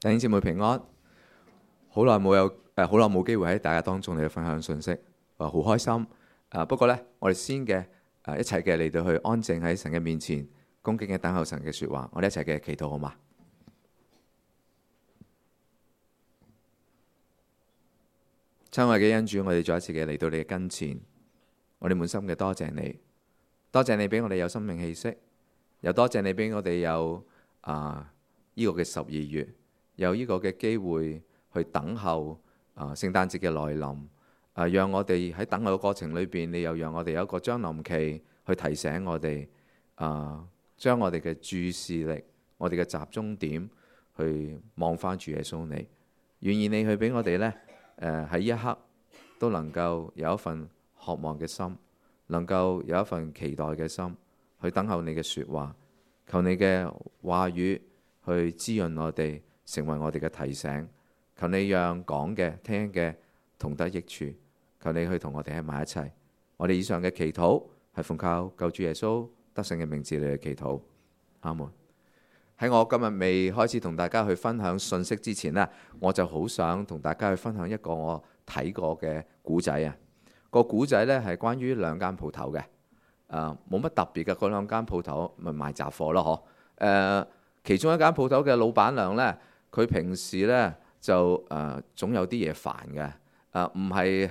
弟兄姊妹平安，好耐冇機會喺大家當中嚟分享信息，好開心。不過呢，我哋先嘅一齊嘅嚟到去安靜喺神嘅面前，恭敬嘅等候神嘅說話。我哋一齊嘅祈禱好嗎？親愛嘅恩主，我哋再一次嘅嚟到你嘅跟前，我哋滿心嘅多謝你，多謝你俾我哋有生命氣息，又多謝你俾我哋有呢個嘅12月。有呢個嘅機會去等候聖誕節嘅來臨，讓我哋喺等候嘅過程裏邊，你又讓我哋有一個將臨期去提醒我哋，將我哋嘅注視力、我哋嘅集中點去望翻主耶穌你，願意你去俾我哋呢，喺一刻都能夠有一份渴望嘅心，能夠有一份期待嘅心去等候你嘅說話，求你嘅話語去滋潤我哋，成為我哋嘅提醒，求你讓講嘅聽嘅同得益處，求你去同我哋喺埋一齊。我哋以上嘅祈禱係奉靠救主耶穌得勝嘅名字嚟嘅祈禱，阿門。喺我今日未開始同大家去分享信息之前呢，我就好想同大家去分享一個我睇過嘅古仔啊。個古仔呢係關於兩間鋪頭嘅，冇乜特別嘅。嗰兩間鋪頭咪賣雜貨咯，其中一間鋪頭嘅老闆娘呢，佢平時呢就總有啲嘢煩嘅，唔係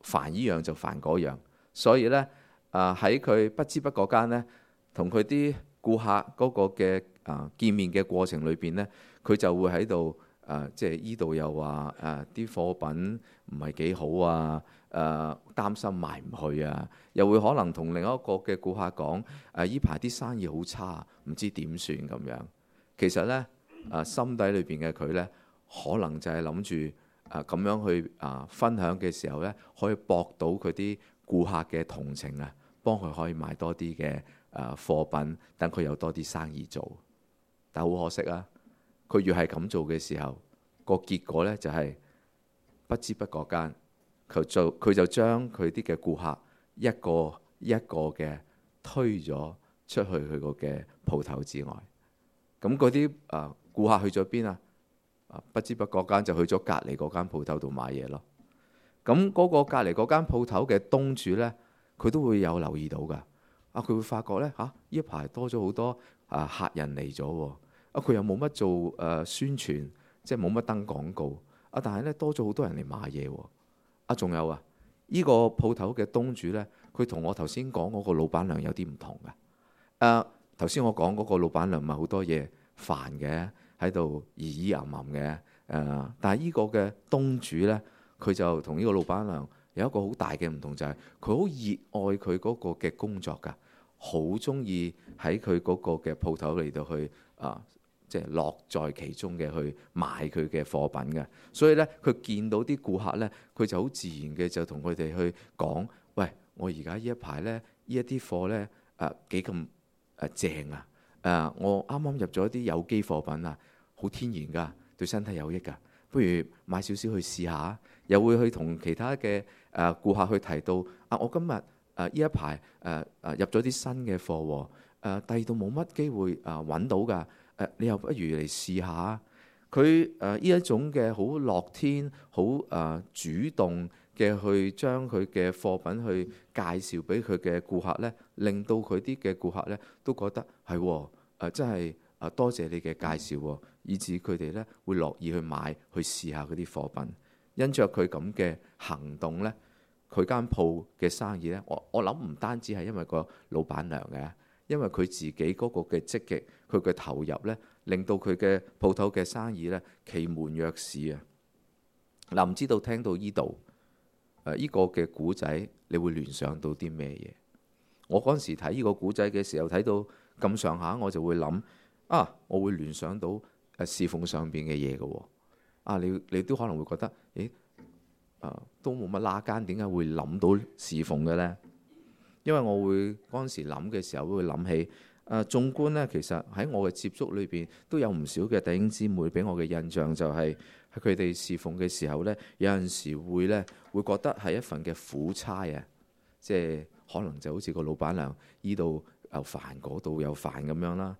煩依樣就煩嗰樣，所以呢，喺佢不知不覺間呢，同佢啲顧客嗰個嘅見面嘅過程裏邊呢，佢就會喺度即係依度又話啲貨品唔係幾好啊，擔心賣唔去啊，又會可能同另一個嘅顧客講依排啲生意好差，唔知點算咁樣。其實呢，心底裏邊嘅佢呢，可能就係諗住咁樣去分享嘅時候呢，可以博到佢啲顧客嘅同情啊，幫佢可以買多啲嘅貨品，等佢有多啲生意做。但好可惜啊，佢越係咁做嘅時候，個結果呢就係不知不覺間，佢就將佢啲嘅顧客一個一個嘅推咗出去佢個嘅鋪頭之外。咁嗰啲顧客去咗邊啊？不知不覺間就去咗隔離嗰間鋪頭度買嘢咯。咁嗰個隔離嗰間鋪頭嘅東主呢，佢都會有留意到㗎。佢會發覺呢，呢一排多咗好多客人嚟咗喎。佢又冇乜做宣傳，即係冇乜登廣告。但係呢，多咗好多人嚟買嘢喎。仲有呢個鋪頭嘅東主呢，佢同我頭先講嗰個老闆娘有啲唔同㗎。頭先我講嗰個老闆娘咪好多嘢煩嘅，喺度咿咿吟吟嘅。但係呢個嘅東主呢，佢就同呢個老闆娘有一個好大嘅唔同，就係佢好熱愛佢嗰個嘅工作㗎，好中意喺佢嗰個嘅鋪頭嚟到去即係樂在其中嘅去賣佢嘅貨品嘅。所以呢，佢見到啲顧客呢，佢就好自然嘅就同佢哋去講：喂，我而家呢一排呢，呢一啲貨呢幾咁正啊！我啱啱入咗啲有機貨品啊，好天然㗎，對身體有益㗎，不如買少少去試下。又會去同其他嘅顧客去提到我今日呢一排入咗啲新嘅貨喎，第二度冇乜機會揾到㗎，你又不如嚟試下。佢呢一種嘅好樂天、好主動嘅去將佢嘅貨品去介紹俾佢嘅顧客呢，令到佢啲嘅顧客呢都覺得係真係多謝你嘅介紹，以至佢哋呢會樂意去買去試下嗰啲貨品。因着佢咁嘅行動呢，佢間鋪嘅生意呢，我諗唔單止係因為個老闆娘嘅，因為佢自己嗰個嘅積極，佢嘅投入呢，令到佢嘅鋪頭嘅生意呢其門若市啊！唔知道聽到呢度呢個嘅古仔，你會聯想到啲咩嘢？我嗰陣時睇呢個古仔嘅時候，睇到咁上下，我就會諗我會聯想到侍奉上邊嘅嘢嘅喎。你都可能會覺得，都冇乜拉間，點解會諗到侍奉嘅呢？因為我會嗰陣時諗嘅時候，都會諗起縱觀呢，其實喺我嘅接觸裏邊，都有唔少嘅弟兄姊妹俾我嘅印象就係喺佢哋侍奉嘅時候呢，有陣時會覺得係一份嘅苦差啊，即係可能就好似個老闆娘依度又煩，嗰度又煩咁樣啦。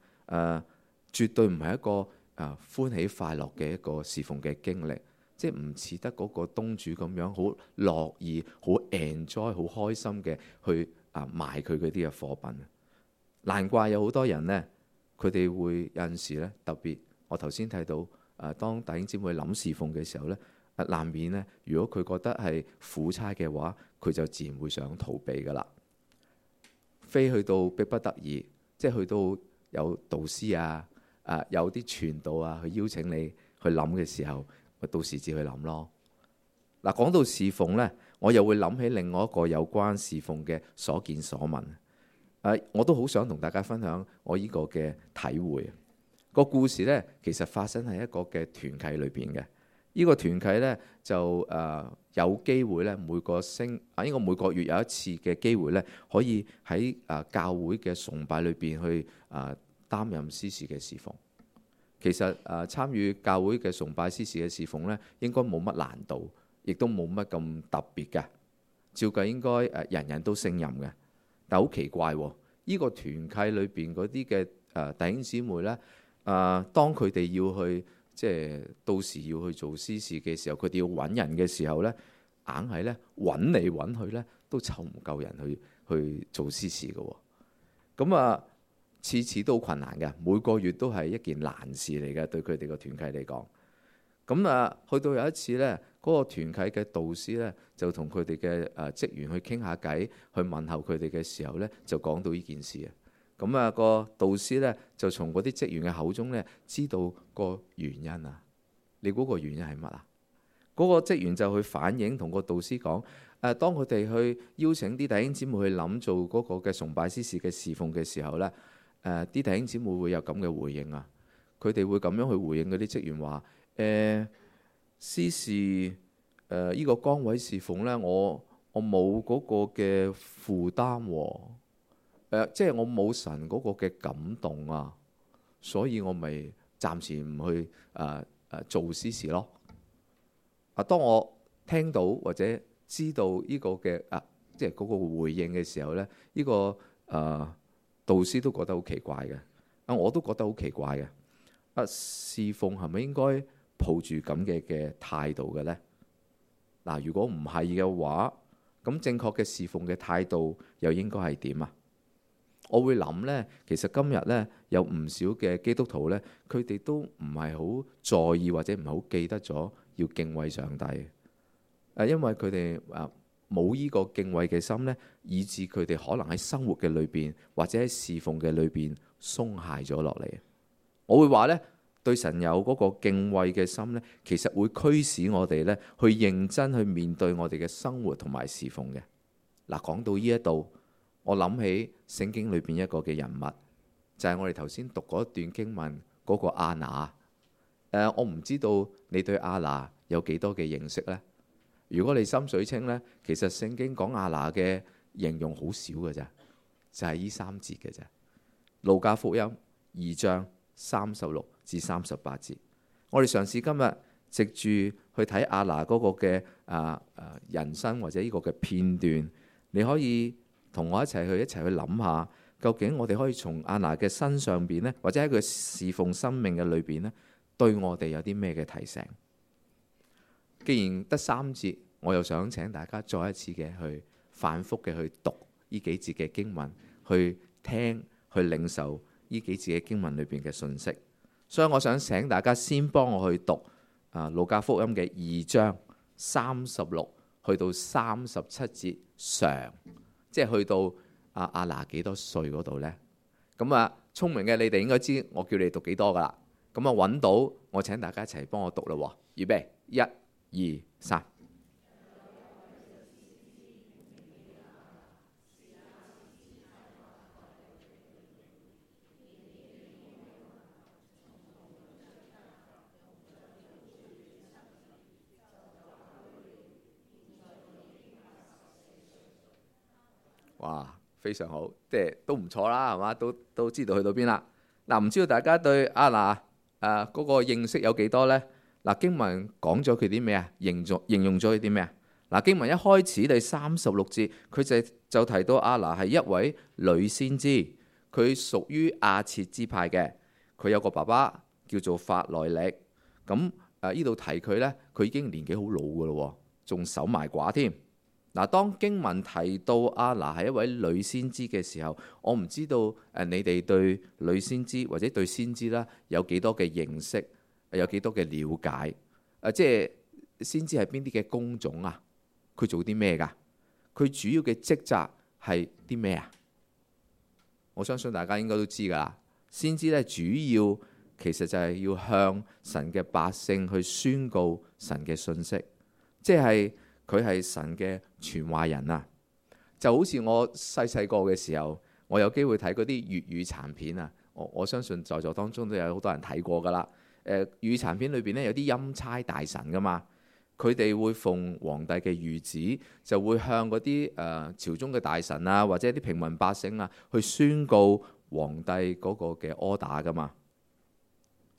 絕對唔係一個歡喜快樂嘅一個侍奉嘅經歷，即係唔似得嗰個東主咁樣好樂意、好 enjoy、好開心嘅去賣佢嗰啲嘅貨品。難怪有好多人呢，佢哋會有陣時呢，特別我頭先睇到當弟兄姊妹諗侍奉嘅時候呢，難免呢，如果佢覺得係苦差嘅話，佢就自然會想逃避噶啦。非去到逼不得已，即係去到有導師有啲傳道去邀請你去諗嘅時候，咪到時至去諗咯。嗱，講到侍奉呢，我又會諗起另外一個有關侍奉嘅所見所聞。我都好想同大家分享我呢個嘅體會。個故事呢，其實發生喺一個嘅團契裏邊嘅。呢個團契呢，就有機會呢，每個月有一次嘅機會呢，可以喺教會嘅崇拜裏邊去擔任司事嘅侍奉。其實參與教會嘅崇拜司事嘅侍奉呢，應該冇乜難度，亦都冇乜咁特別嘅。照計應該人人都勝任嘅。但好奇怪喎，呢個團契裏邊嗰啲嘅弟兄姊妹呢，當佢哋要去即係到時要去做司事嘅時候，佢哋要揾人嘅時候呢，硬係呢揾嚟揾去呢，都湊唔夠人去做司事嘅喎。咁次次都困難嘅，每個月都係一件難事嚟嘅，對佢哋個團契嚟講。咁去到有一次呢，嗰個團契嘅導師呢，就同佢哋嘅職員去傾下偈，去問候佢哋嘅時候呢，就講到呢件事啊。咁個導師呢，就從嗰啲職員嘅口中呢，知道個原因啊。你估個原因係乜啊？嗰個職員就去反映，同個導師講當佢哋去邀請啲弟兄姊妹去諗做嗰個嘅崇拜司事嘅侍奉嘅時候呢，啲弟兄姊妹會有咁嘅回應啊。佢哋會咁樣去回應嗰啲職員話：司事呢個崗位侍奉呢，我冇嗰個嘅負擔喎，即係我冇神嗰個嘅感動啊，所以我咪暫時唔去做司事咯。當我聽到或者知道呢個嘅即係嗰個回應嘅時候呢，呢個導師都覺得好奇怪嘅，我都覺得好奇怪嘅。侍奉係咪應該抱住咁嘅態度嘅呢？嗱，如果唔係嘅話，咁正確嘅侍奉嘅態度又應該係點啊？我會諗呢，其實今日呢，有唔少嘅基督徒呢，佢哋都唔係好在意或者唔係好記得咗要敬畏上帝，因為佢哋冇呢個敬畏嘅心呢，以致佢哋可能喺生活嘅裏邊或者喺侍奉嘅裏邊鬆懈咗落嚟。我會話呢，對神有嗰個敬畏嘅心呢，其實會驅使我哋呢去認真去面對我哋嘅生活同埋侍奉嘅。嗱，講到呢一度，我諗起聖經裏邊一個嘅人物，就係我哋頭先讀嗰段經文嗰個亞拿。我唔知道你對亞拿有幾多嘅認識呢？如果你心水清呢，其實聖經講亞拿嘅形容好少嘅咋，就係呢3節嘅咋。路加福音2章36至38節。我哋嘗試今日藉住去睇亞拿嗰個嘅人生或者呢個嘅片段，你可以同我一齊去諗下，究竟我哋可以從亞拿嘅身上邊呢，或者喺佢侍奉生命嘅裏邊呢，對我哋有啲咩嘅提醒？既然得3節，我又想請大家再一次嘅去反覆嘅去讀呢幾節嘅經文，去聽去領受呢幾節嘅經文裏邊嘅信息。所以我想請大家先幫我去讀路加福音嘅2章36去到37節上，即係去到亞拿幾多歲嗰度呢？咁聰明嘅你哋應該知我叫你讀幾多噶啦。咁揾到，我請大家一齊幫我讀啦。預備，1、2、3。哇，非常好，即係都唔錯啦，係嘛？都知道去到邊啦。嗱，唔知道大家對亞拿嗰個認識有幾多呢？嗱，經文講咗佢啲咩啊？形容咗佢啲咩啊？嗱，經文一開始第36節，佢就提到亞拿係一位女先知，佢屬於亞設支派嘅，佢有個爸爸叫做法內力。咁呢度提佢呢，佢已經年紀好老噶咯，仲守埋寡添。嗱，當經文提到亞拿係一位女先知嘅時候，我唔知道你哋對女先知或者對先知啦有幾多嘅認識，有幾多嘅了解？即係先知係邊啲嘅工種啊？佢做啲咩㗎？佢主要嘅職責係啲咩啊？我相信大家應該都知㗎啦。先知咧，主要其實就係要向神嘅百姓去宣告神嘅信息，即係佢係神嘅傳話人啊。就好似我細細個嘅時候，我有機會睇嗰啲粵語殘片啊。我相信在座當中都有好多人睇過㗎啦。粵語殘片裏邊咧有啲欽差大臣㗎嘛。佢哋會奉皇帝嘅諭旨，就會向嗰啲朝中嘅大臣啊，或者啲平民百姓啊，去宣告皇帝嗰個嘅 order 噶嘛。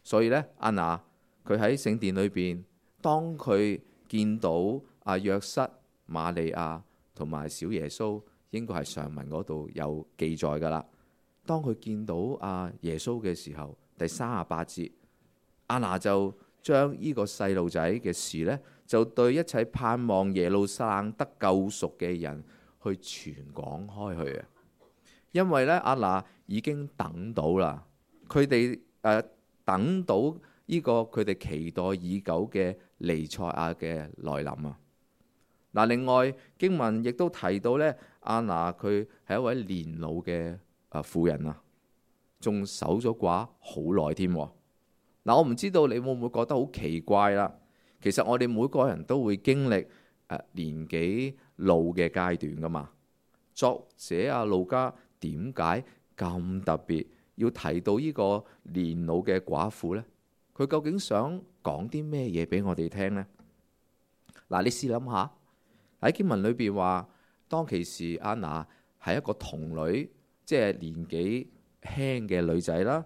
所以呢，亞拿佢喺聖殿裏邊，當佢見到約瑟、瑪利亞同埋小耶穌，應該係上文嗰度有記載噶啦。當佢見到耶穌嘅時候，第38節，亞拿就將呢個細路仔嘅事呢，就對一切盼望耶路撒冷得救贖嘅人去傳講開去啊！因為咧，亞拿已經等到啦，佢哋等到呢個佢哋期待已久嘅彌賽亞嘅來臨啊！嗱，另外經文亦都提到咧，亞拿佢係一位年老嘅婦人啊，仲守咗寡好耐添。嗱，我唔知道你會唔會覺得好奇怪啦？其實我哋每個人都會經歷年紀老嘅階段噶嘛。作者路加點解咁特別要提到呢個年老嘅寡婦呢？佢究竟想講啲咩嘢俾我哋聽呢？嗱，你試諗下喺經文裏邊話，當其時亞拿係一個童女，即係年紀輕嘅女仔啦。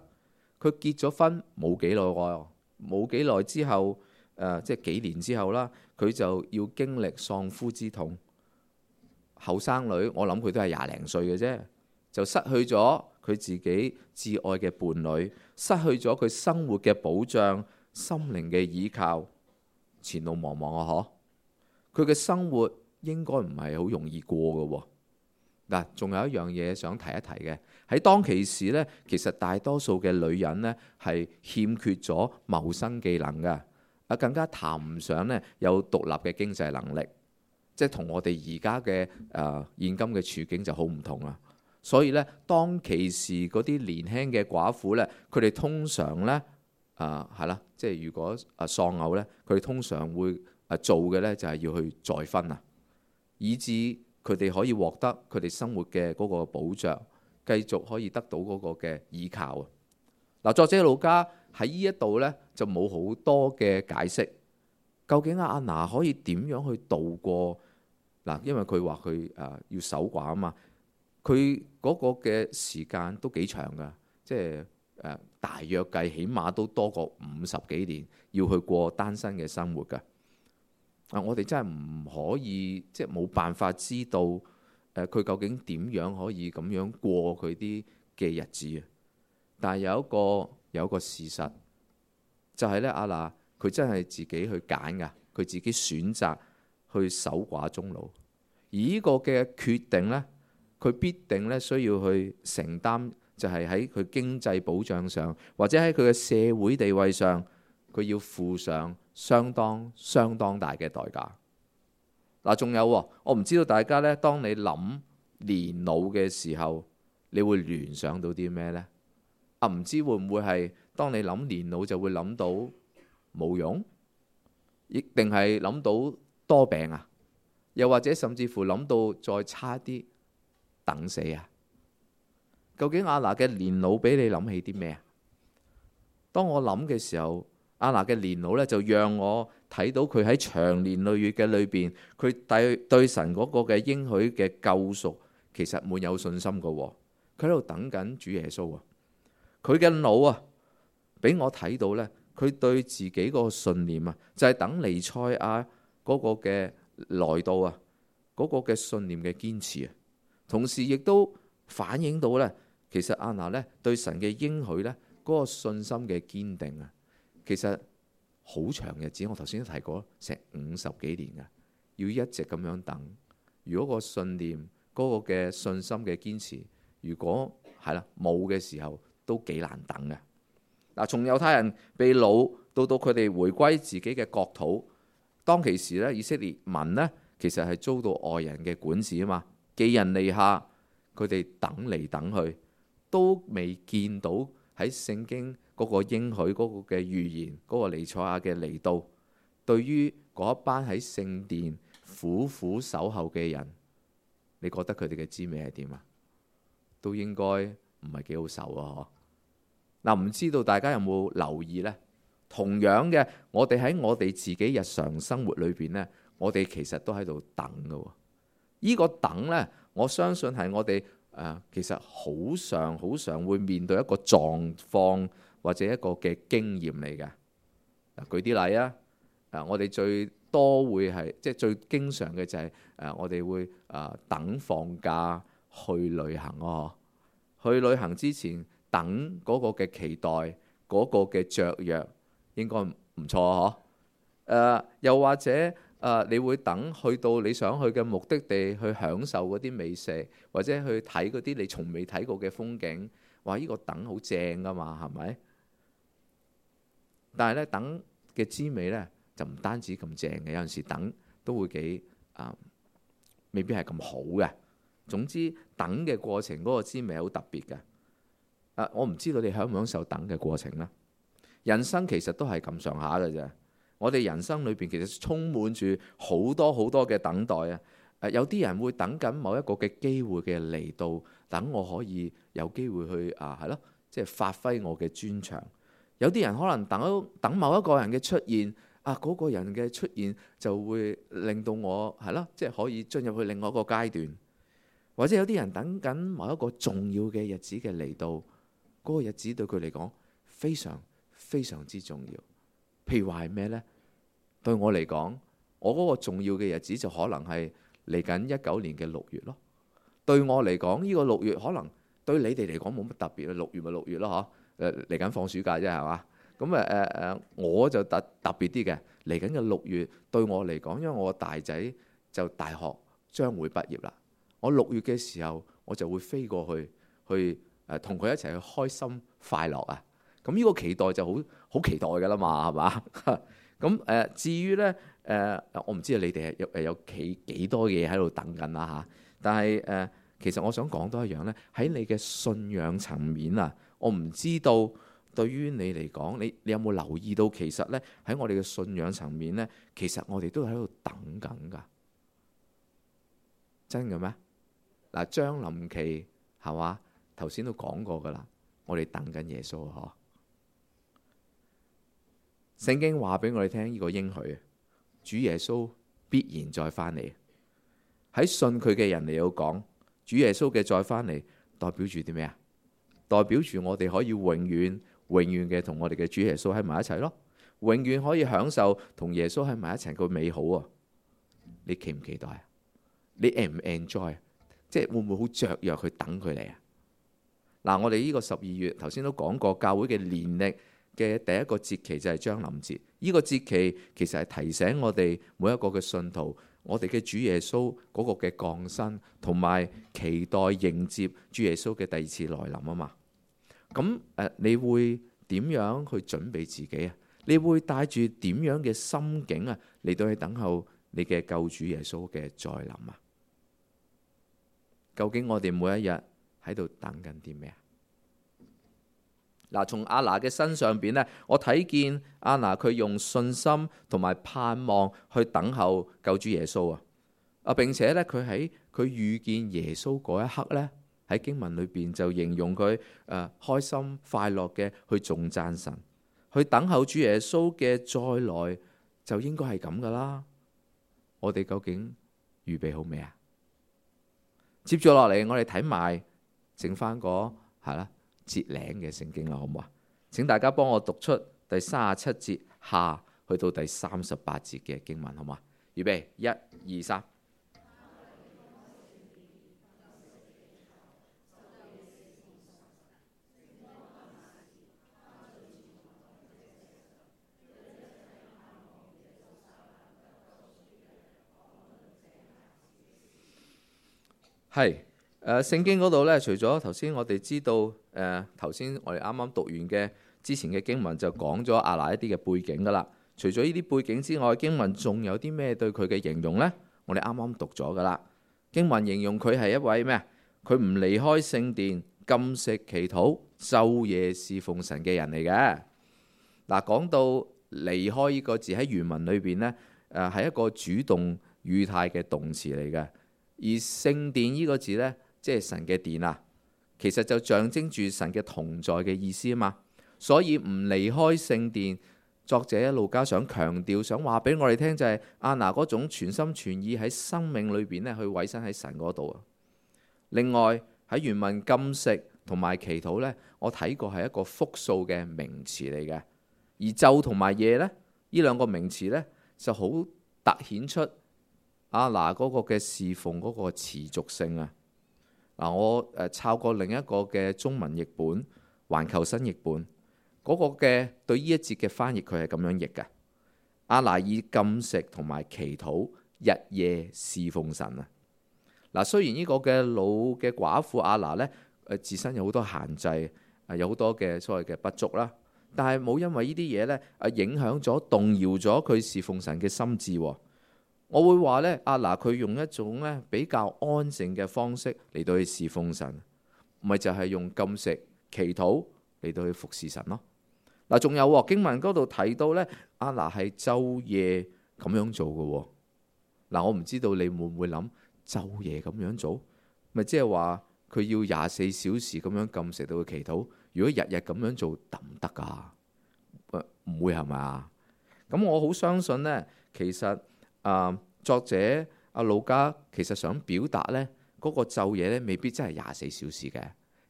佢結咗婚冇幾耐喎，冇幾耐之後。即係幾年之後啦，佢就要經歷喪夫之痛。後生女，我諗佢都係廿零歲嘅啫，就失去咗佢自己至愛嘅伴侶，失去咗佢生活嘅保障、心靈嘅依靠，前路茫茫啊！佢嘅生活應該唔係好容易過嘅喎。嗱，仲有一樣嘢想提一提嘅，喺當其時呢，其實大多數嘅女人呢係欠缺咗謀生技能嘅。更加談唔上咧有獨立嘅經濟能力，即係同我哋而家嘅現今嘅處境就好唔同啦。所以咧，當其時嗰啲年輕嘅寡婦咧，佢哋通常咧係啦，即係如果喪偶咧，佢哋通常會做嘅咧就係要去再婚啊，以致佢哋可以獲得佢哋生活嘅嗰個保障，繼續可以得到嗰個嘅依靠啊。嗱，作者路加喺呢一度呢，就冇好多嘅解釋，究竟亞拿可以點樣去度過嗱？因為佢話佢要守寡啊嘛，佢嗰個嘅時間都幾長噶，即係大約計起碼都多過50幾年要去過單身嘅生活噶。我哋真係唔可以，即係冇辦法知道佢究竟點樣可以咁樣過佢啲嘅日子啊！但係有一個事實，就係咧，亞拿佢真係自己去揀噶，佢自己選擇去守寡終老。而呢個嘅決定呢，佢必定咧需要去承擔，就係喺佢經濟保障上，或者喺佢嘅社會地位上，佢要付上相當大嘅代價。嗱，仲有我唔知道大家呢，當你諗年老嘅時候，你會聯想到啲咩呢？唔知會唔會係當你諗年老就會諗到冇用，亦定係諗到多病啊？又或者甚至乎諗到再差啲等死啊？究竟亞拿嘅年老俾你諗起啲咩啊？當我諗嘅時候，亞拿嘅年老呢，就讓我睇到佢喺長年累月嘅裏邊，佢對神嗰個嘅應許嘅救贖其實滿有信心噶。佢喺度等緊主耶穌啊！佢嘅腦啊，俾我睇到呢，佢對自己個信念啊，就係等彌賽亞嗰個嘅來到啊，嗰個嘅信念嘅堅持啊，同時亦都反映到呢，其實亞拿呢對神嘅應許呢嗰個信心嘅堅定啊，其實好長日子，我頭先都提過，成50幾年嘅，要一直咁樣等。如果個信念嗰個嘅信心嘅堅持，如果係啦冇嘅時候，都幾難等嘅。嗱，從猶太人被擄到佢哋回歸自己嘅國土，當其時咧，以色列民呢，其實係遭到外人嘅管治啊嘛，寄人籬下，佢哋等嚟等去，都未見到喺聖經嗰個應許嗰個嘅預言，嗰個彌賽亞嘅嚟到，對於嗰一班喺聖殿苦苦守候嘅人，你覺得佢哋嘅滋味係點啊？都應該唔係幾好受啊！嗱，唔知道大家有冇留意呢？同樣嘅，我哋喺我哋自己日常生活裏邊呢，我哋其實都喺度等㗎。呢個等呢，我相信係我哋其實好常會面對一個狀況或者一個嘅經驗嚟嘅。舉啲例啊，我哋最多會係即係最經常嘅就係我哋會等放假去旅行哦。去旅行之前等嗰個嘅期待，嗰個嘅雀躍應該唔錯嗬。又或者你會等去到你想去嘅目的地去享受嗰啲美食，或者去睇嗰啲你從未睇過嘅風景。哇！呢個等好正噶嘛，係咪？但係咧，等嘅滋味咧就唔單止咁正嘅，有陣時等都會幾未必係咁好嘅。總之，等嘅過程嗰個滋味係好特別嘅。我唔知道你享唔享受等嘅過程啦。人生其實都係咁上下嘅啫。我哋人生裏邊其實充滿住好多嘅等待啊！有啲人會等緊某一個嘅機會嘅嚟到，等我可以有機會去係咯，即係發揮我嘅專長。有啲人可能等某一個人嘅出現嗰個人嘅出現就會令到我係咯，即係可以進入去另外一個階段。或者有啲人等緊某一個重要嘅日子嘅嚟到，嗰個日子對佢嚟講非常之重要。譬如話係咩呢？對我嚟講，我嗰個重要嘅日子就可能係嚟緊19年嘅6月咯。對我嚟講，呢個6月可能對你哋嚟講冇乜特別，6月咪6月咯嗬。嚟緊放暑假啫係嘛？咁我就特別啲嘅，嚟緊嘅6月對我嚟講，因為我大仔就大學將會畢業啦。我6月嘅時候，我就會飛過去同佢一齊去開心快樂啊！咁呢個期待就好期待㗎啦嘛，係嘛？咁至於呢，我唔知道你哋有幾多嘢喺度等緊啦嚇。但係其實我想講多一樣呢，喺你嘅信仰層面啊，我唔知道對於你嚟講，你有冇留意到其實呢，喺我哋嘅信仰層面呢，其實我哋都喺度等緊㗎。真嘅咩？嗱，將臨期係嘛？頭先都講過㗎啦，我哋等緊耶穌嗬。聖經話俾我哋聽呢個應許，主耶穌必然再翻嚟。喺信佢嘅人嚟到講，主耶穌嘅再翻嚟代表住啲咩啊？代表住我哋可以永遠嘅同我哋嘅主耶穌喺埋一齊咯，永遠可以享受同耶穌喺埋一齊個美好啊！你期唔期待啊？你 enjoy？即係會唔會好雀躍去等佢嚟啊？嗱，我哋呢個12月頭先都講過，教會嘅年曆嘅第一個節期就係將臨節。呢個節期其實係提醒我哋每一個嘅信徒，我哋嘅主耶穌嗰個嘅降生，同埋期待迎接主耶穌嘅第二次來臨啊嘛。咁你會點樣去準備自己啊？你會帶住點樣嘅心境啊嚟到去等候你嘅救主耶穌嘅再臨啊？究竟我哋每一日喺度等緊啲咩啊？嗱，從亞拿嘅身上邊呢，我睇見亞拿佢用信心同埋盼望去等候救主耶穌啊！並且呢，佢喺佢遇見耶穌嗰一刻呢，喺經文裏邊就形容佢開心快樂嘅去頌讚神，去等候主耶穌嘅再來，就應該係咁噶啦。我哋究竟預備好未啊？接住落嚟，我哋睇埋剩翻個係啦節領嘅聖經啦，好唔好啊？請大家幫我讀出第37節下去到第38節嘅經文，好嘛？預備，1、2、3。係聖經嗰度呢，除咗頭先我哋知道頭先我哋啱啱讀完嘅之前嘅經文就講咗亞拿一啲嘅背景噶啦。除咗呢啲背景之外，經文仲有啲咩對佢嘅形容呢？我哋啱啱讀咗噶啦。經文形容佢係一位咩啊？佢唔離開聖殿，禁食祈禱，晝夜侍奉神嘅人嚟嘅。嗱，講到離開呢個字喺原文裏邊呢，係一個主動語態嘅動詞嚟嘅。而聖殿呢個字呢，即係神嘅殿啊，其實就象徵住神嘅同在嘅意思啊嘛。所以唔離開聖殿，作者路加想強調，想話俾我哋聽就係亞拿嗰種全心全意喺生命裏邊咧去委身喺神嗰度啊。另外喺原文禁食同埋祈禱呢，我睇過係一個複數嘅名詞嚟嘅。而晝同埋夜呢，呢兩個名詞呢，就好突顯出亞拿嗰個嘅侍奉嗰個持續性啊。嗱，我抄過另一個嘅中文譯本，環球新譯本嗰個嘅對呢一節嘅翻譯，佢係咁樣譯嘅：亞拿以禁食同埋祈禱，日夜侍奉神啊。嗱，雖然呢個嘅老嘅寡婦亞拿呢，自身有好多限制，有好多嘅所謂嘅不足啦，但係冇因為呢啲嘢呢影響咗、動搖咗佢侍奉神嘅心志。我會話呢，亞拿佢用一種呢比較安靜嘅方式嚟到去侍奉神，咪就係用禁食祈禱嚟到去服侍神咯。嗱，仲有經文嗰度提到呢，亞拿係晝夜咁樣做嘅。嗱，我唔知道你會唔會諗晝夜咁樣做，咪即係話佢要24小時咁樣禁食到去祈禱。如果日日咁樣做得唔得噶？唔會係咪？咁我好相信呢，其實作者路加其實想表達呢嗰個晝夜呢未必真係24小時嘅。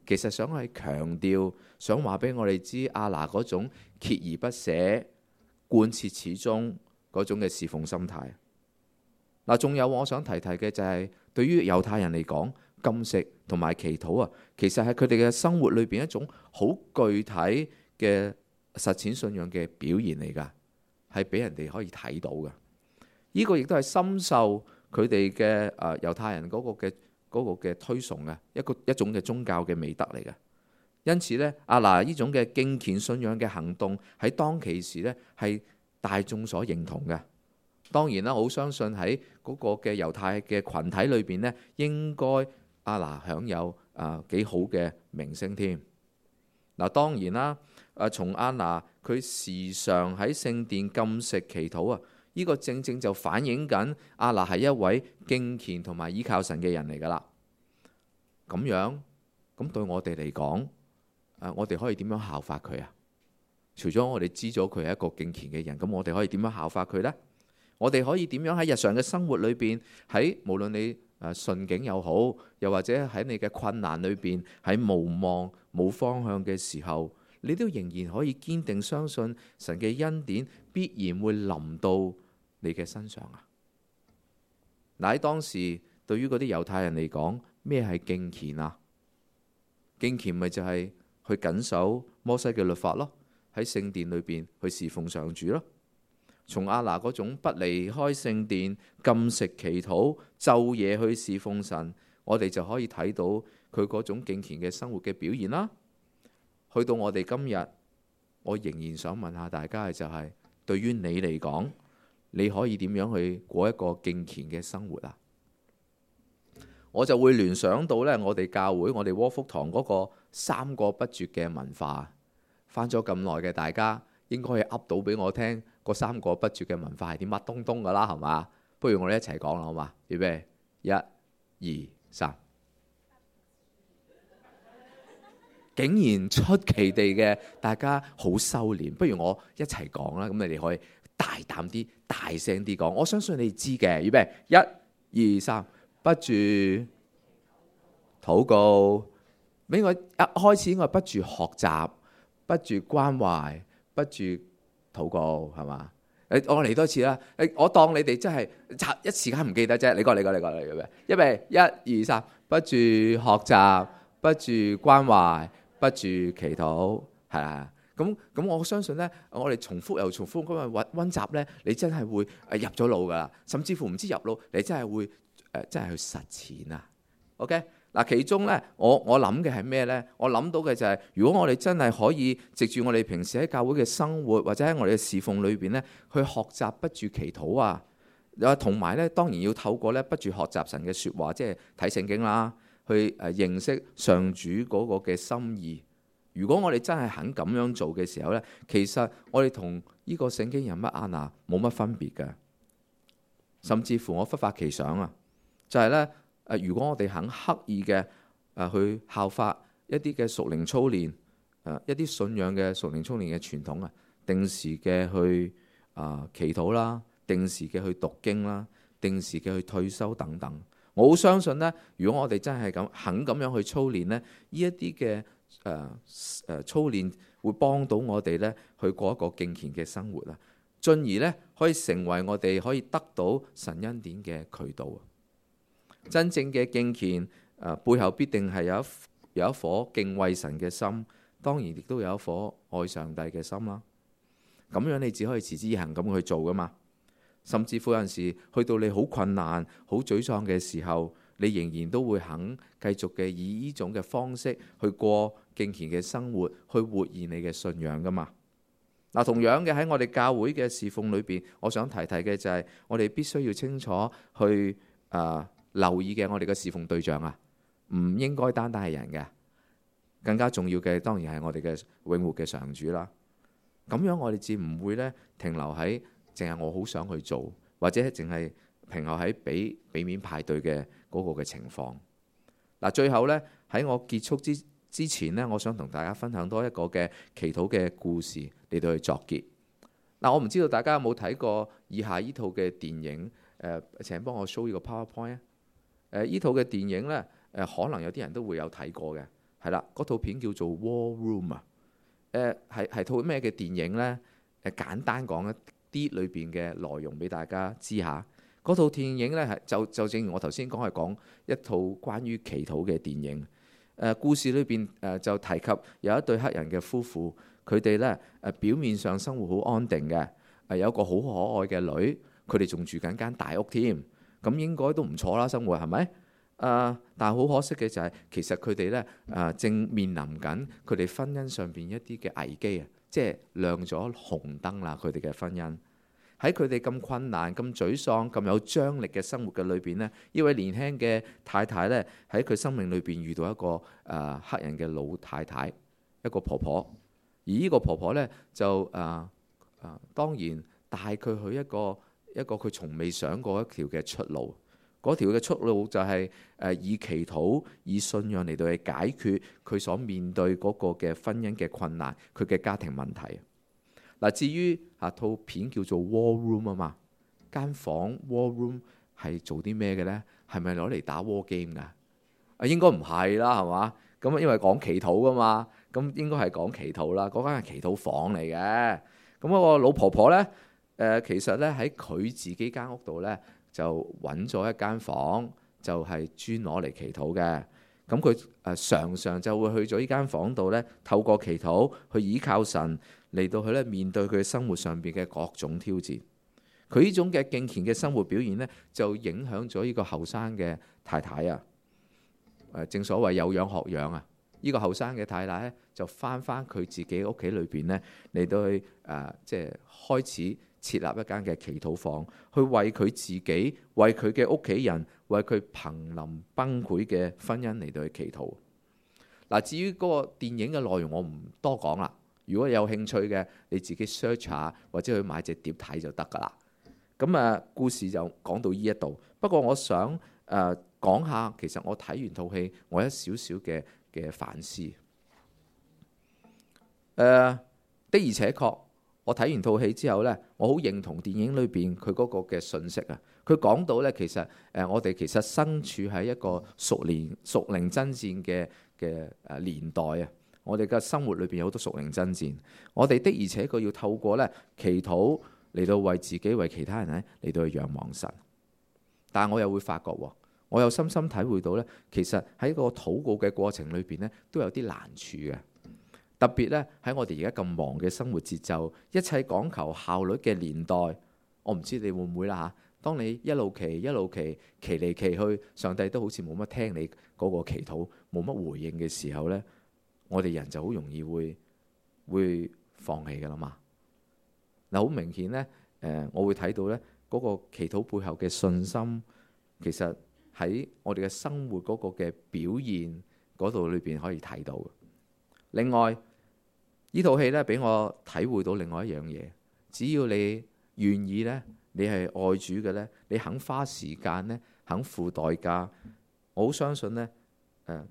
其實想係強調，想話俾我哋知亞拿嗰種鍥而不捨、貫徹始終嗰種嘅侍奉心態。嗱，仲有我想提嘅就係，對於猶太人嚟講，禁食同埋祈禱啊，其實係佢哋嘅生活裏邊一種好具體嘅實踐信仰嘅表現嚟㗎，係俾人哋可以睇到嘅。呢個亦都係深受佢哋嘅猶太人嗰個嘅推崇嘅一種嘅宗教嘅美德嚟嘅。因此呢，亞拿呢種嘅敬虔信仰嘅行動喺當其時呢係大眾所認同嘅。當然啦，我好相信喺嗰個嘅猶太嘅群體裏邊呢，應該亞拿享有幾好嘅名聲添。嗱，當然啦，從亞拿佢時常喺聖殿禁食祈禱啊，呢個正正就反映緊亞拿係一位敬虔同埋依靠神嘅人嚟噶啦。咁樣咁對我哋嚟講，我哋可以點樣效法佢啊？除咗我哋知咗佢係一個敬虔嘅人，咁我哋可以點樣效法佢呢？我哋可以點樣喺日常嘅生活裏邊，喺無論你順境又好，又或者喺你嘅困難裏邊，喺無望冇方向嘅時候，你都仍然可以堅定相信神嘅恩典必然會臨到你嘅身上啊！嗱，喺當時對於嗰啲猶太人嚟講，咩係敬虔啊？敬虔咪就係去謹守摩西嘅律法咯，喺聖殿裏邊去侍奉上主咯。從亞拿嗰種不離開聖殿、禁食祈禱、晝夜去侍奉神，我哋就可以睇到佢嗰種敬虔嘅生活嘅表現啦。去到我哋今日，我仍然想問下大家嘅就係，對於你嚟講，你可以點樣去過一個敬虔嘅生活啊？我就會聯想到呢，我哋教會、我哋窩福堂嗰個三個不絕嘅文化。返咗咁耐嘅大家，應該係噏到俾我聽，嗰三個不絕嘅文化係啲乜東東噶啦，係嘛？不如我哋一齊講啦，好嘛？預備，1、2、3。竟然出奇地嘅，大家好收斂。不如我一齊講啦，咁你哋可以大膽啲、大聲啲講。我相信你哋知嘅。預備，1、2、3，不住禱告。俾我一開始，我係不住學習，不住關懷，不住禱告，係嘛？我嚟多次啦。我當你哋真係一時間唔記得啫。你講，預備，1、2、3，不住學習，不住關懷，不住祈禱，係啊。咁我相信呢，我哋重複又重複咁樣溫習呢，你真係會入咗腦噶啦。甚至乎唔知入腦，你真係會真係去實踐啊！ OK 嗱，其中咧，我諗嘅係咩咧？我諗到嘅就係，如果我哋真係可以藉住我哋平時喺教會嘅生活，或者喺我哋嘅侍奉裏邊咧，去學習不住祈禱啊，同埋咧，當然要透過咧不住學習神嘅説話，即係睇聖經啦，去認識上主嗰個嘅心意。如果我哋真係肯咁樣做嘅時候咧，其實我哋同呢個聖經人物亞拿冇乜分別嘅，甚至乎我忽發奇想啊，就係咧。如果我哋肯刻意嘅去效法一啲嘅屬靈操練，一啲信仰嘅屬靈操練嘅傳統啊，定時嘅去祈禱啦，定時嘅去讀經啦，定時嘅去退休等等，我好相信呢，如果我哋真係肯咁樣去操練呢，呢一啲嘅操練會幫到我哋呢去過一個敬虔嘅生活啊，進而呢可以成為我哋可以得到神恩典嘅渠道。真正嘅敬虔，背後必定係有一顆敬畏神嘅心，當然亦都有一顆愛上帝嘅心啦。咁樣你只可以持之以恆咁去做噶嘛。甚至乎有陣時去到你好困難、好沮喪嘅時候，你仍然都會肯繼續嘅以呢種嘅方式去過敬虔嘅生活，去活現你嘅信仰噶嘛。嗱，同樣嘅喺我哋教會嘅侍奉裏邊，我想提嘅就係我哋必須要清楚去留意嘅，我哋嘅侍奉對象啊，唔應該單單係人嘅，更加重要嘅當然係我哋嘅永活嘅上主啦。咁樣我哋至唔會咧停留喺淨係我好想去做，或者淨係停留喺俾面派對嘅嗰個嘅情況。嗱，最後咧喺我結束之前呢，我想同大家分享多一個嘅祈禱嘅故事嚟到去作結。嗱，我唔知道大家有冇睇過以下呢套嘅電影？請幫我 show 呢個 PowerPoint 啊！呢套嘅電影呢，可能有啲人都會有睇過嘅，係啦，嗰套片叫做 War Room 啊。係套咩嘅電影呢？簡單講一啲裏邊嘅內容俾大家知下。嗰套電影呢，係就正如我頭先講，係講一套關於祈禱嘅電影。故事裏邊就提及有一對黑人嘅夫婦，佢哋呢表面上生活好安定嘅，有一個好可愛嘅女，佢哋仲住緊間大屋添。咁應該都唔錯啦，生活係咪？但係好可惜嘅就係，其實佢哋咧正面臨緊佢哋婚姻上邊一啲嘅危機啊，即係亮咗紅燈啦。佢哋嘅婚姻喺佢哋咁困難、咁沮喪、咁有張力嘅生活嘅裏邊呢，呢位年輕嘅太太咧喺佢生命裏邊遇到一個黑人嘅老太太，一個婆婆。而呢個婆婆咧就當然帶佢去一個佢從未想過一條嘅出路，嗰條嘅出路就係以祈禱、以信仰嚟到去解決佢所面對嗰個嘅婚姻嘅困難，佢嘅家庭問題。嗱，至於套片叫做 War Room 啊嘛，間房 War Room 係做啲咩嘅呢？係咪攞嚟打 War Game 㗎？應該唔係啦，係嘛？咁因為講祈禱㗎嘛，咁應該係講祈禱啦。嗰間係祈禱房嚟嘅。咁嗰個老婆婆呢？其實咧喺佢自己間屋度咧，就揾咗一間房，就係專攞嚟祈禱嘅。咁佢常常就會去咗呢間房度咧，透過祈禱去倚靠神嚟到去咧面對佢生活上邊嘅各種挑戰。佢呢種嘅敬虔嘅生活表現咧，就影響咗呢個後生嘅太太啊。正所謂有樣學樣啊！呢個後生嘅太太咧，就翻佢自己屋企裏邊咧嚟到去即係開始設立一間嘅祈禱房，去為佢自己、為佢嘅屋企人、為佢瀕臨崩潰嘅婚姻嚟到去祈禱。嗱，至於嗰個電影嘅內容，我唔多講啦。如果有興趣嘅，你自己 search 下或者去買隻碟睇就得噶啦。咁故事就講到呢一度。不過我想講下，其實我睇完套戲，我有少少嘅反思。的而且確，我睇完套戲之後呢，我好認同電影裏邊佢嗰個嘅信息啊。佢講到呢，其實我哋其實身處喺一個屬靈爭戰嘅年代啊。我哋嘅生活裏邊有好多屬靈爭戰，我哋的而且確要透過呢祈禱嚟到為自己、為其他人呢嚟到去仰望神。但係我又會發覺，我又深深體會到呢，其實喺個禱告嘅過程裏邊呢，都有啲難處嘅。特別呢，喺我哋而家咁忙嘅生活節奏，一切講求效率嘅年代，我唔知你會唔會啦當你一路祈祈嚟祈去，上帝都好似冇乜聽你嗰個祈禱，冇乜回應嘅時候呢，我哋人就好容易會放棄噶啦嘛。嗱，好明顯呢，我會睇到呢嗰個祈禱背後嘅信心，其實喺我哋嘅生活嗰個嘅表現嗰度裏邊可以睇到。另外，呢套戲呢，俾我體會到另外一樣嘢，只要你願意呢，你係愛主嘅呢，你肯花時間呢，肯付代價，我好相信呢，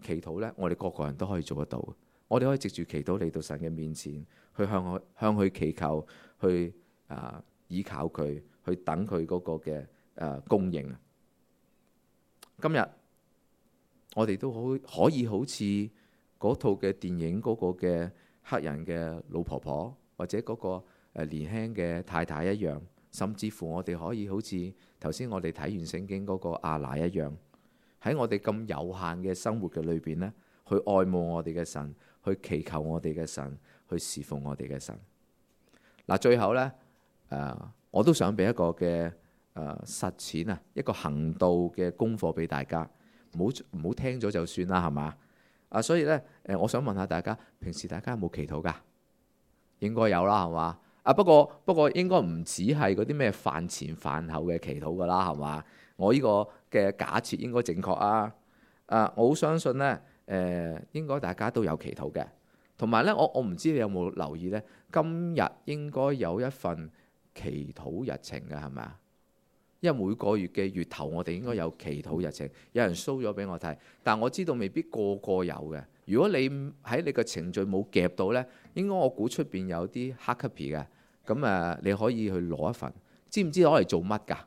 祈禱呢，我哋個個人都可以做得到。我哋可以藉住祈禱嚟到神嘅面前，去向佢祈求，去倚靠佢，去等佢嗰個嘅供應。今日我哋都可以好似嗰套嘅電影嗰個嘅黑人嘅老婆婆，或者嗰個年輕嘅太太一樣，甚至乎我哋可以好似頭先我哋睇完聖經嗰個亞拿一樣，喺我哋咁有限嘅生活嘅裏邊呢，去愛慕我哋嘅神，去祈求我哋嘅神，去侍奉我哋嘅神。嗱，最後呢，我都想俾一個嘅實踐啊，一個行道嘅功課俾大家，唔好聽咗就算啦，係嘛？所以呢，我想問下大家，平時大家有冇祈禱㗎？應該有啦，係嘛？不過應該唔止係嗰啲咩飯前飯後嘅祈禱㗎啦，係嘛？我呢個嘅假設應該正確啊！我好相信呢，應該大家都有祈禱嘅。同埋呢，我唔知你有冇留意呢，今日應該有一份祈禱日程嘅，係咪啊？因為每個月嘅月頭，我哋應該有祈禱日程，有人 show 咗俾我睇，但我知道未必個個有嘅。如果你喺你嘅程序冇夾到呢，應該我估出邊有啲 hard copy 嘅，咁你可以去攞一份。知唔知攞嚟做乜㗎？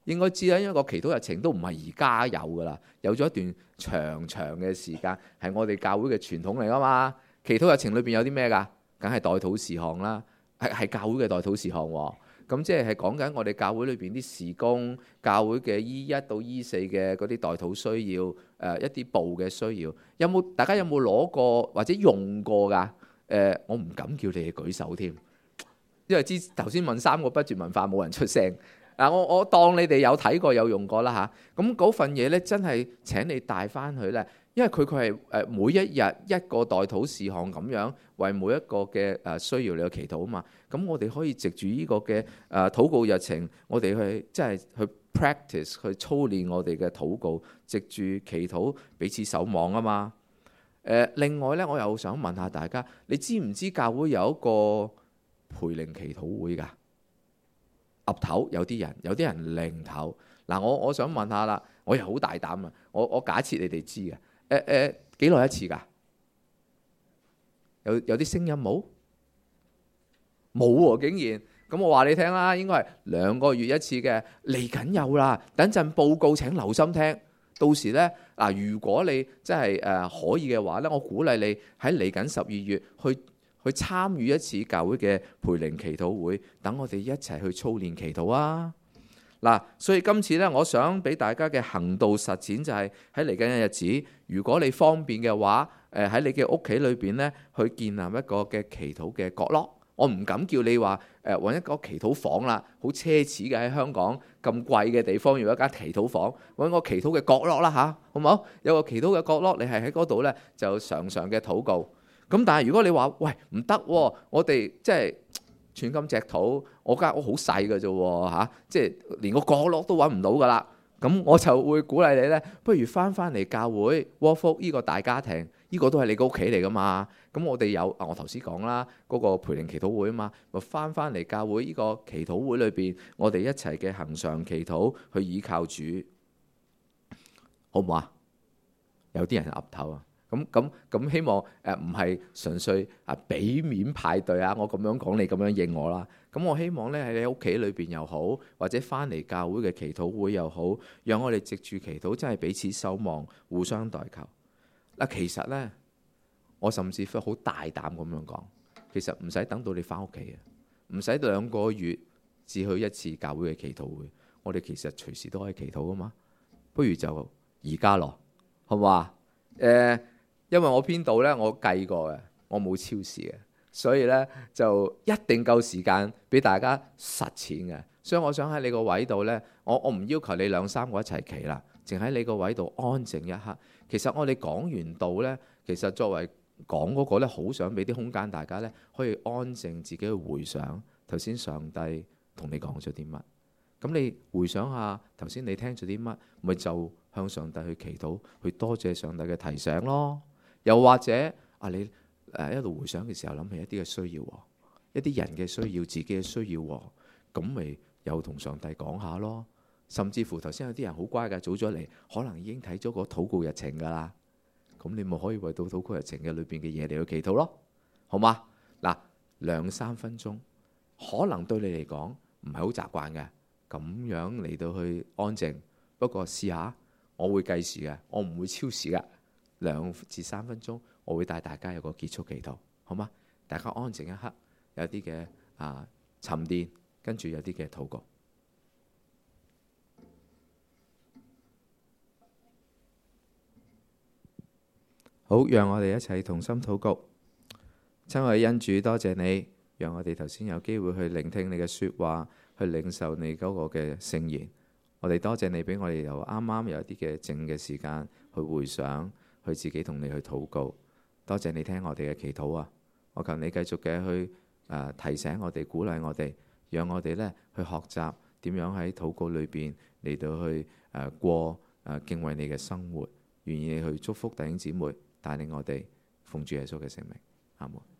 應該知啦，因為個祈禱日程都唔係而家有噶啦，有咗一段長嘅時間，係我哋教會嘅傳統嚟噶嘛。祈禱日程裏邊有啲咩㗎？梗係代禱事項啦，係教會嘅代禱事項喎。咁即係講緊我哋教會裏邊啲事工，教會嘅E1到E4嘅嗰啲代禱需要，一啲部嘅需要，大家有冇攞過或者用過㗎？我唔敢叫你哋舉手添，因為頭先問3個不絕文化冇人出聲。我當你哋有睇過有用過啦嚇。咁嗰份嘢呢，真係請你帶翻去呢，因為佢係每一日一個代禱事項咁樣，為每一個嘅需要你去祈禱啊嘛。咁我哋可以藉住呢個嘅禱告日程，我哋去即係去 practice 去操練我哋嘅禱告，藉住祈禱彼此守望啊嘛。另外呢，我又想問下大家，你知唔知教會有一個培靈祈禱會㗎？岌頭有啲人擰頭。嗱，我想問下啦，我又好大膽啊！我假設你哋知嘅，幾耐一次㗎？有啲聲音冇喎，竟然。咁我話你聽啦，應該係2個月一次嘅，嚟緊有啦。等陣報告請留心聽。到時呢，如果你真係可以嘅話呢，我鼓勵你喺嚟緊12月去參與一次教會嘅培靈祈禱會，等我哋一齊去操練祈禱啊！嗱，所以今次呢，我想俾大家嘅行道實踐就係喺嚟緊嘅日子，如果你方便嘅話，喺你嘅屋企裏邊呢，去建立一個嘅祈禱嘅角落。我唔敢叫你話揾一個祈禱房啦，好奢侈嘅，喺香港咁貴嘅地方要一間祈禱房，揾個祈禱嘅角落啦嚇，好唔好？有個祈禱嘅角落，你係喺嗰度呢，就常嘅禱告。咁但係如果你話喂唔得喎，我哋即係寸金尺土，我間屋好細嘅啫喎嚇，即係連個角落都揾唔到噶啦。咁我就會鼓勵你呢，不如翻嚟教會窩福呢個大家庭，呢個都係你個屋企嚟噶嘛。咁我哋有我頭先講啦，嗰個培靈祈禱會啊嘛，咪翻嚟教會呢個祈禱會裏邊，我哋一齊嘅恆常祈禱去倚靠主，好唔好啊？有啲人岌頭啊。咁希望唔係純粹俾面派對啊！我咁樣講，你咁樣應我啦。咁我希望呢，喺你屋企裏邊又好，或者翻嚟教會嘅祈禱會又好，讓我哋藉住祈禱真係彼此守望，互相代求。其實呢，我甚至乎好大膽咁樣講，其實唔使等到你翻屋企嘅，唔使2個月至去一次教會嘅祈禱會，我哋其實隨時都可以祈禱噶嘛。不如就而家咯，好唔好啊？因為我編導呢，我計過嘅，我冇超時嘅，所以呢，就一定夠時間俾大家實踐嘅。所以我想喺你個位度呢，我唔要求你兩三個一齊企啦，淨喺你個位度安靜一刻。其實我哋講完道呢，其實作為講嗰個呢，好想俾啲空間大家呢，可以安靜自己去回想頭先上帝同你講咗啲乜。咁你回想下頭先你聽咗啲乜，咪就向上帝去祈禱，去多謝上帝嘅提醒咯。又或者你一路回想嘅時候諗起一啲嘅需要，一啲人嘅需要，自己嘅需要，咁咪又同上帝講下咯。甚至乎頭先有啲人好乖嘅，早咗嚟，可能已經睇咗個禱告日程噶啦。咁你咪可以為到禱告日程嘅裏邊嘅嘢嚟去祈禱咯，好嗎？嗱，2-3分鐘，可能對你嚟講唔係好習慣嘅，咁樣嚟到去安靜。不過試下，我會計時嘅，我唔會超時嘅。2-3分鐘，我會帶大家有個結束祈禱，好嗎？大家安靜一刻，有啲嘅沉澱，跟住有啲嘅禱告。好，讓我哋一齊同心禱告。親愛嘅恩主，多謝你，讓我哋頭先有機會去聆聽你嘅說話，去領受你嗰個嘅聖言。我哋多謝你俾我哋由啱啱有一啲嘅靜嘅時間去回想，去自己同你去禱告。多謝你聽我哋嘅祈禱啊！我求你繼續嘅去提醒我哋，鼓勵我哋，讓我哋呢去學習點樣喺禱告裏邊嚟到去過敬畏你嘅生活，願意去祝福弟兄姊妹，帶領我哋奉主耶穌嘅聖名，阿門。